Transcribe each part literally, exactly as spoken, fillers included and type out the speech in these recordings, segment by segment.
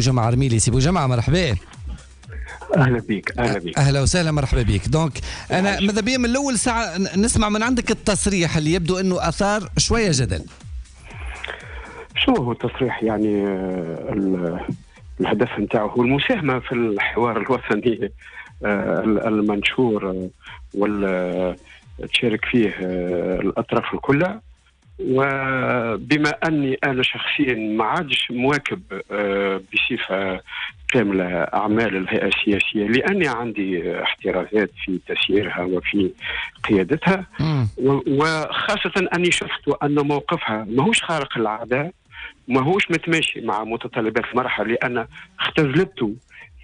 بوجمعة رميلي. سي بوجمعة مرحبا. اهلا بك. اهلا بك. اهلا وسهلا، مرحبا بك. donc انا ماذا بيا من الاول ساعة نسمع من عندك التصريح اللي يبدو انه اثار شوية جدل. شو هو التصريح؟ يعني الهدف نتاعو هو المساهمة في الحوار الوطني المنشور وال تشارك فيه الاطراف الكل، وبما اني انا شخصيا ما عادش مواكب بصفة كاملة اعمال الهيئة السياسية لاني عندي احترازات في تسييرها وفي قيادتها، وخاصة اني شفت ان موقفها ماهوش خارق العادة، ماهوش متماشي مع متطلبات المرحلة، لان اختزلته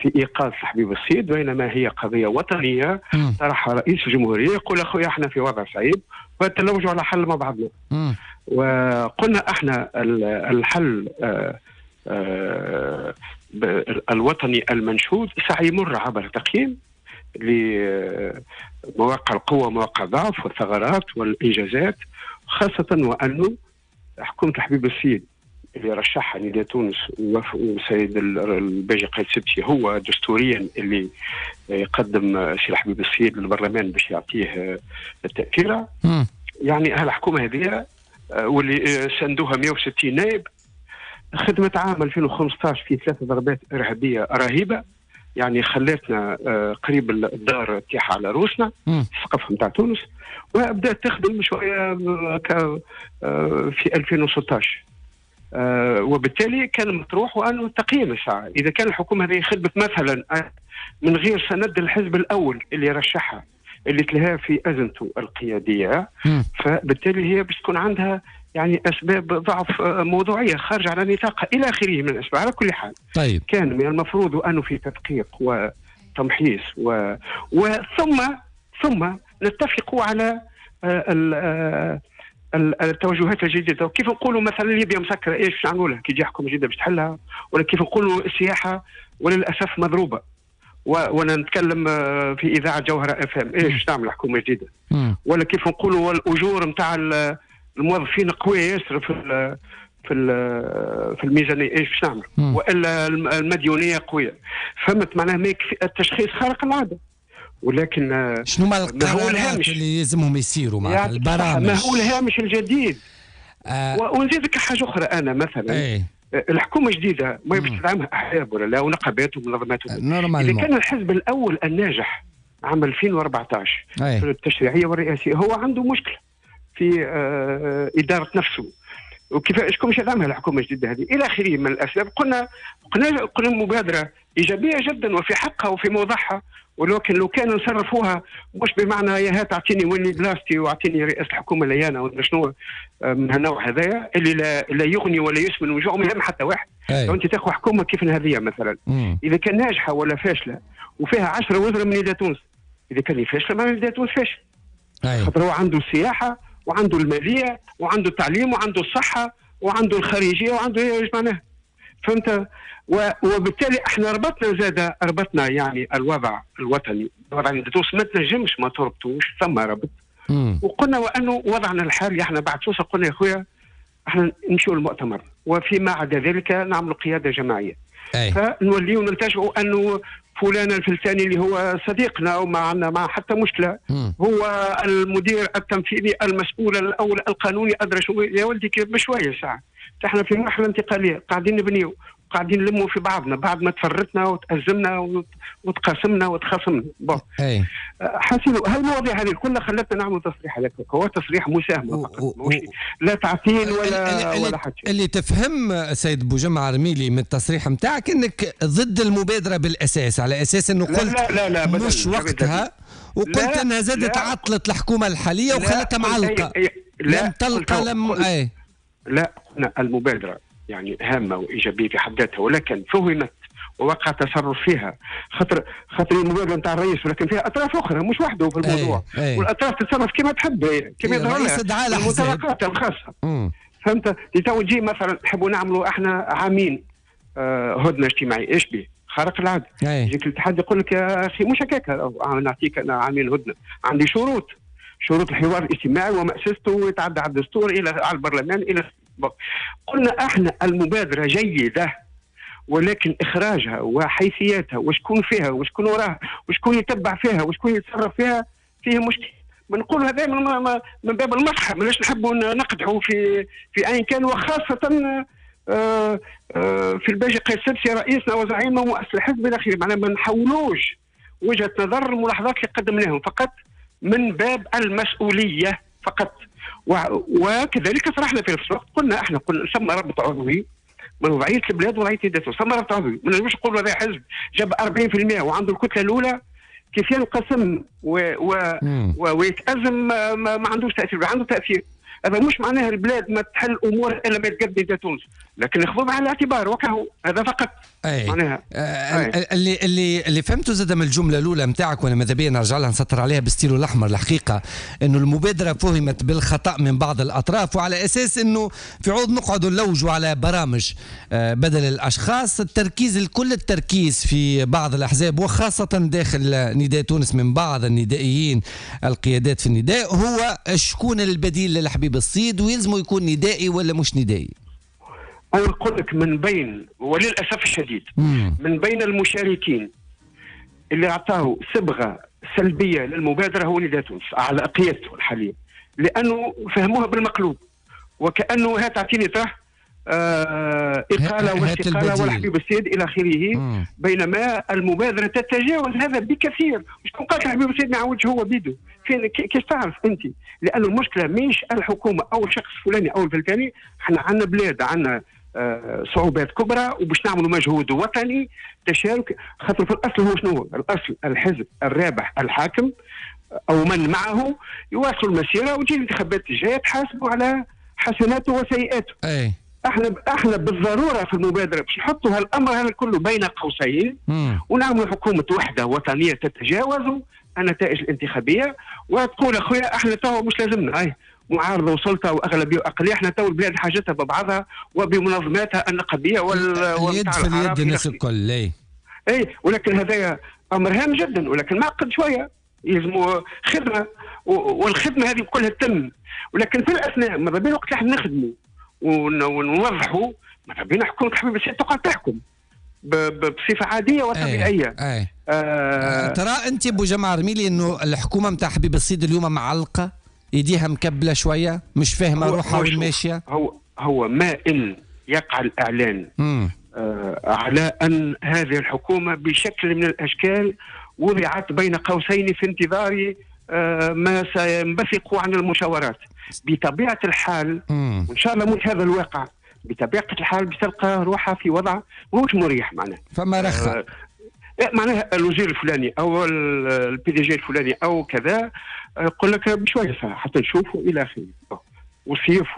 في ايقاف حبيب الصيد، بينما هي قضية وطنية طرحها رئيس الجمهورية يقول اخويا احنا في وضع صعيب فتلوجوا على حل مع بعضنا. وقلنا احنا الحل آآ آآ الوطني المنشود سيمر عبر تقييم لمواقع القوة ومواقع الضعف والثغرات والانجازات، خاصة وانه حكومة الحبيب الصيد اللي رشحها نداء تونس وسيد الباجي قايد سبسي هو دستوريا اللي يقدم سي الحبيب الصيد للبرلمان باش يعطيه التأثيرة. يعني هالحكومة هذه واللي سندوها مئة وستين نائب خدمت عام ألفين وخمسطاش في ثلاث ضربات إرهابية رهيبة، يعني خلتنا قريب الدار تيح على روسنا، السقف نتاع تونس، وبدات تخدم شوية في ألفين وستطاش. آه وبالتالي كان مطروح وانه تقييم الساعة اذا كان الحكومة هذه خدمت مثلا من غير سند الحزب الاول اللي رشحها اللي تلها في ازمته القيادية، فبالتالي هي باش تكون عندها يعني اسباب ضعف موضوعية خارجه على نطاقها الى اخره من الاسباب. على كل حال طيب، كان من المفروض انه في تدقيق وتمحيص و... وثم ثم نتفق على آه التوجهات الجديدة. كيف نقولوا مثلا ليبيا مسكره، ايش باش نعملوا لها كي تجي حكومة جديدة باش تحلها؟ ولا كيف نقولوا السياحة وللاسف مضروبة، وانا نتكلم في اذاعة جوهره اف ام، ايش باش تعمل حكومة جديدة؟ ولا كيف نقولوا الاجور نتاع الموظفين قوية ياسر في ال في ال في الميزانية، ايش باش نعمل؟ والا المديونيه قوية. فهمت معناها ما يكفي التشخيص خارق العادة، ولكن شنو ما القرارات اللي يلزمهم يسيروا مع البرامج؟ ما هو الهامش الجديد. آه ونزيدك حاجة اخرى، انا مثلا ايه؟ الحكومة جديدة ما باش تدعمها احزاب ولا لا ونقابات ومنظمات. اذا كان الحزب الاول الناجح عام ألفين وأربعطاش ايه؟ في التشريعية والرئاسيه هو عنده مشكلة في آه ادارة نفسه، وكيف شكون باش يدعمها الحكومة الجديدة هذه الى اخره من الاسباب. قلنا قلنا قلنا مبادرة ايجابية جدا وفي حقها وفي موضعها، ولكن لو كانوا نصرفوها مش بمعنى يا هات اعطيني ولي بلاصتي واعطيني رئاسة الحكومة ليانا ولا شنو من هالنوع هذايا اللي لا, لا يغني ولا يسمن وجوع ما يهم حتى واحد. لو انت تاخذ حكومة كيف هذه مثلا، مم. اذا كان ناجحة ولا فاشلة وفيها عشرة وزراء من نداء تونس، اذا كان فاشلة ما نداء تونس فاشل، خاطر هو عنده السياحة وعنده المالية وعنده التعليم وعنده الصحة وعنده الخارجية وعنده ايش معناها، فهمت؟ وبالتالي احنا ربطنا زاد ربطنا يعني الوضع الوطني الوضع اللي تونس ما تنجمش ما تربطوش، ثم ربط. مم. وقلنا وانه وضعنا الحالي احنا بعد سوسة قلنا يا خويا احنا نمشيو للمؤتمر وفيما عدا ذلك نعملوا قيادة جماعية. أي. فنوليو نلتجئوا انه فلان الفلساني اللي هو صديقنا وما عندنا مع حتى مشكلة، مم. هو المدير التنفيذي المسؤول الاول القانوني ادرى شو يا ولدي بشوية ساعة. احنا في مرحلة انتقالية قاعدين نبنيو قاعدين نلموا في بعضنا بعد ما تفرتنا وتأزمنا وتقاسمنا وتخاصمنا. bon حاسين هالمواضيع هذه كلها خلتنا نعمل تصريح هذاك، هو تصريح مساهمة فقط، و... لا تعطيل ولا اللي ولا حاجة. اللي تفهم سيد بوجمعة رميلي من التصريح نتاعك انك ضد المبادرة بالاساس، على اساس انه قلت لا لا لا لا مش وقتها، وقلت لا انها زادت عطلت الحكومة الحالية وخلتها معلقه، لم تلقى لم اي لا المبادرة يعني هامة وايجابية في حد ذاتها، ولكن فهمت ووقع تصرف فيها، خاطر خاطر المبادرة نتاع الرئيس ولكن فيها اطراف اخرى مش وحده في الموضوع. أي. أي. والاطراف تتصرف كما تحب كما يظهر لها المنطلقات الخاصة. فهمت؟ تو تجي مثلا نحبوا نعملوا احنا عامين آه هدنة اجتماعية، ايش به؟ خارق العادة. يجيك الاتحاد يقول لك يا اخي مش هكاك، نعطيك انا عامين هدنة، عندي شروط، شروط الحوار الاجتماعي ومأسسته ويتعدى على الدستور الى على البرلمان الى. قلنا احنا المبادرة جيدة ولكن اخراجها وحيثياتها وشكون فيها وشكون وراها وشكون يتبع فيها وشكون يتصرف فيها فيه مشكل. بنقول هذا من من باب المصلحة، ماناش نحبوا نقدحوا في في اي كان، وخاصة آه، آه، في الباجي قيس السبسي رئيسنا وزعيمنا ومؤسس الحزب الى اخره. معناها ما نحولوش وجهه نظر الملاحظات اللي قدمناهم فقط من باب المسؤولية فقط. وكذلك صرحنا في نفس الوقت، قلنا احنا قلنا ثم ربط عضوي من وضعية البلاد وضعية نداء تونس، ثم ربط عضوي. ما نجمش نقولوا هذا حزب جاب أربعين بالمئة وعنده الكتلة الاولى كيف ينقسم و و ويتأزم ما, ما عندوش تأثير، عنده تأثير. هذا مش معناها البلاد ما تحل امور الا ما يتقدم نداء تونس، لكن ناخذوه بعين الاعتبار وكهو، هذا فقط. أي. معناها آه اللي اللي اللي فهمته زاد من الجملة الاولى نتاعك، وانا ماذا بيا نرجع لها نسطر عليها بالستيلو الاحمر الحقيقة، انه المبادرة فهمت بالخطا من بعض الاطراف، وعلى اساس انه في عوض نقعدوا نلوجوا على برامج آه بدل الاشخاص، التركيز الكل التركيز في بعض الاحزاب وخاصة داخل نداء تونس من بعض الندائيين القيادات في النداء، هو شكون البديل للحبيب الصيد، ويلزمه يكون ندائي ولا مش ندائي؟ أنا نقول لك من بين، وللأسف الشديد، مم. من بين المشاركين اللي أعطاه صبغة سلبية للمبادرة هو نداء تونس على قيادته الحالية، لأنه فهموها بالمقلوب، وكأنه هات تعطيني طرح آه إقالة واستقالة والحبيب السيد إلى آخره، بينما المبادرة تتجاوز هذا بكثير. شكون قال الحبيب السيد ما عاودش هو بيدو؟ فين كيف تعرف أنت؟ لأن المشكلة مش الحكومة أو الشخص الفلاني أو الفلاني، احنا عندنا بلاد عندنا آه صعوبات كبرى، وباش نعملوا مجهود وطني تشارك، خاطر في الأصل هو شنو؟ الأصل الحزب الرابح الحاكم أو من معه يواصلوا المسيرة، وتجي الانتخابات الجاية تحاسبوا على حسناته وسيئاته. أي. احنا احنا بالضرورة في المبادرة باش نحطوا هالامر هذا كله بين قوسين، ونعملوا حكومة وحده وطنية تتجاوز النتائج الانتخابية، وتقول اخويا احنا تو مش لازمنا هاي معارضة وسلطة واغلبيه واقليه، احنا تو البلاد حاجتها ببعضها وبمنظماتها النقابيه وال اليد في اليد الناس الكل. اي اي ولكن هذا امر هام جدا، ولكن معقد شوية، يلزموا خدمة، والخدمة هذه كلها تتم، ولكن في الاثناء ماذا بين وقت احنا نخدموا ونوضحوا، ماذا بينا حكومة الحبيب السيد تقعد تحكم بصفة عادية وطبيعيه. أي. أي. آه ترى انت ابو جمعه رميلي انه الحكومة نتاع حبيب الصيد اليوم معلقه، ايديها مكبله شوية، مش فاهمه روحها وين ماشية؟ هو هو ما ان يقع الاعلان آه على ان هذه الحكومة بشكل من الاشكال وضعت بين قوسين في انتظار آه ما سينبثق عن المشاورات. بطبيعة الحال، وان شاء الله مش هذا الواقع، بطبيعة الحال بتلقى روحها في وضع مش مريح، معناها فما رخاء، آه معناها الوزير الفلاني او ال PDG الفلاني او كذا يقول لك بشوية حتى نشوفوا الى اخره، وصيف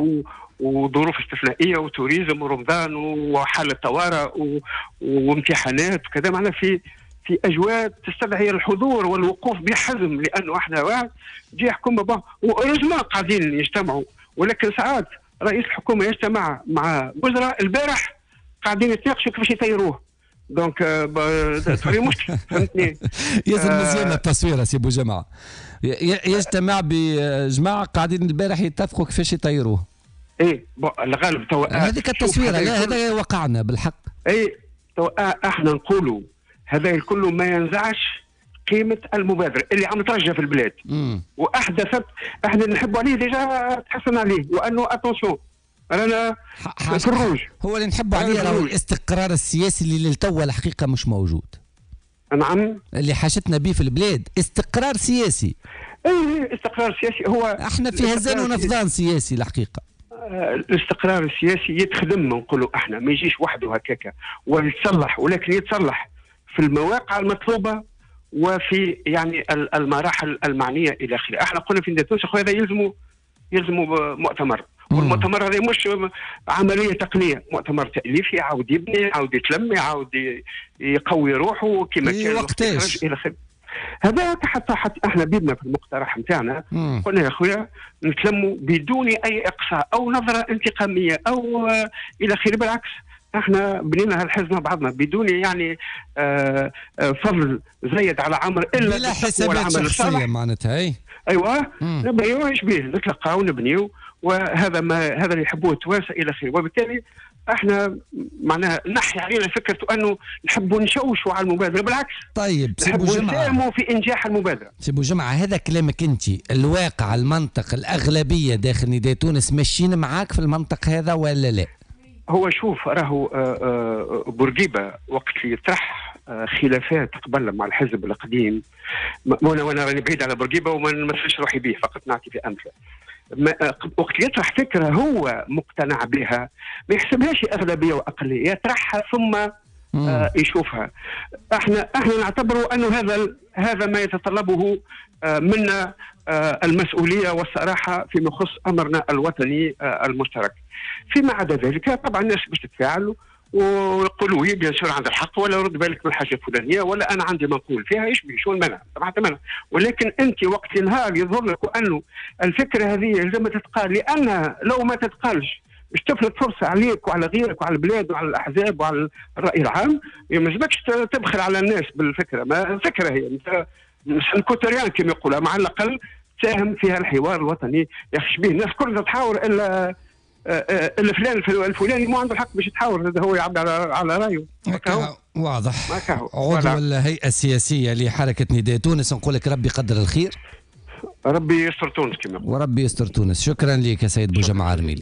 وظروف استثنائية و tourisme ورمضان وحاله طوارئ وامتحانات وكذا، معناها في في اجواء تستدعي الحضور والوقوف بحزم، لانه احنا واحد جي حكومة bon و heureusement قاعدين يجتمعوا، ولكن ساعات رئيس الحكومة يجتمع مع وزراء البارح قاعدين يتناقشوا كيفاش يطيروه، donc تولي مشكل، فهمتني؟ ياسر مزيانه التصويره سي بوجمعه، يجتمع بجماعة قاعدين البارح يتفقوا كيفاش يطيروه. اي bon الغالب تو هذيك التصويره، لا هذا وقعنا بالحق. اي تو احنا نقولوا هذا الكل ما ينزعش قيمة المبادرة اللي عم ترجع في البلاد. مم. وأحدثت، احنا نحبوا عليه déjà تحسن عليه، وأنه attention رانا في الروج. هو اللي نحبوا عليه راهو الاستقرار السياسي اللي للتو الحقيقة مش موجود. نعم، اللي حاجتنا به في البلاد استقرار سياسي. اي استقرار سياسي، هو احنا في هزان ونفضان سياسي الحقيقة. الاستقرار السياسي يتخدم، نقولوا احنا ما يجيش وحده هكاكا ويتصلح، ولكن يتصلح في المواقع المطلوبة وفي يعني المراحل المعنية الى اخره. احنا قلنا في نداء تونس اخويا هذا يلزموا يلزموا مؤتمر، والمؤتمر هذا مش عملية تقنية، مؤتمر تاليفي، يعاود يبني، يعاود يتلم، يعاود يقوي روحه كما كان وقتاش الى اخره. هذا حتى حتى احنا بيدنا في المقترح نتاعنا قلنا يا خويا نتلموا بدون اي اقصاء او نظره انتقاميه او الى اخره، بالعكس احنا بنينا هالحزب مع بعضنا بدون يعني آه فضل زايد على عمر الا بلا حسابات شخصية معناتها. اي ايوه نبنيو ايش به نتلقاو ونبنيو، وهذا ما هذا اللي يحبوه التوانسة الى اخره. وبالتالي احنا معناها نحي علينا فكرة انه نحبوا نشوشوا على المبادرة، بالعكس. طيب سي بوجمعه، نساهموا في انجاح المبادرة. سي بوجمعه، هذا كلامك انت، الواقع المنطق الاغلبية داخل نداء تونس ماشيين معاك في المنطق هذا ولا لا؟ هو شوف، راهو بورقيبة وقت اللي يطرح خلافات قبل مع الحزب القديم، وانا وانا راني بعيد على بورقيبة وما نمثلش روحي به، فقط نعطي في امثلة. وقت يطرح فكرة هو مقتنع بها ما يحسبهاش اغلبية واقليه، يطرحها ثم آه يشوفها. احنا احنا نعتبره انه هذا هذا ما يتطلبه آه منا آه المسؤولية والصراحة فيما يخص امرنا الوطني آه المشترك. فيما عدا ذلك طبعا الناس باش تتفاعل ويقولوا هي bien sûr عندها الحق، ولا رد بالك من الحاجة الفلانية، ولا انا عندي ما نقول فيها، ايش بيه شو المنع؟ طبعا منع، ولكن انت وقت نهار يظهر لك انه الفكرة هذه لازم تتقال، لانها لو ما تتقالش باش تفلت فرصة عليك وعلى غيرك وعلى البلاد وعلى الاحزاب وعلى الراي العام، ما لازمكش تبخل على الناس بالفكرة. ما الفكرة هي ça ne coûte rien كما يقولوا، مع الاقل تساهم فيها الحوار الوطني. يا اخي شبيه الناس كلها تحاور الا الا فلان الفلاني ما عنده الحق باش يتحاور، هذا هو يعبر على, على رايه. واضح. عضو الهيئة السياسية لحركة نداء تونس، نقول لك ربي قدر الخير، ربي يستر تونس كما وربي يستر تونس. شكرا لك يا سيد بوجمعه الرميلي.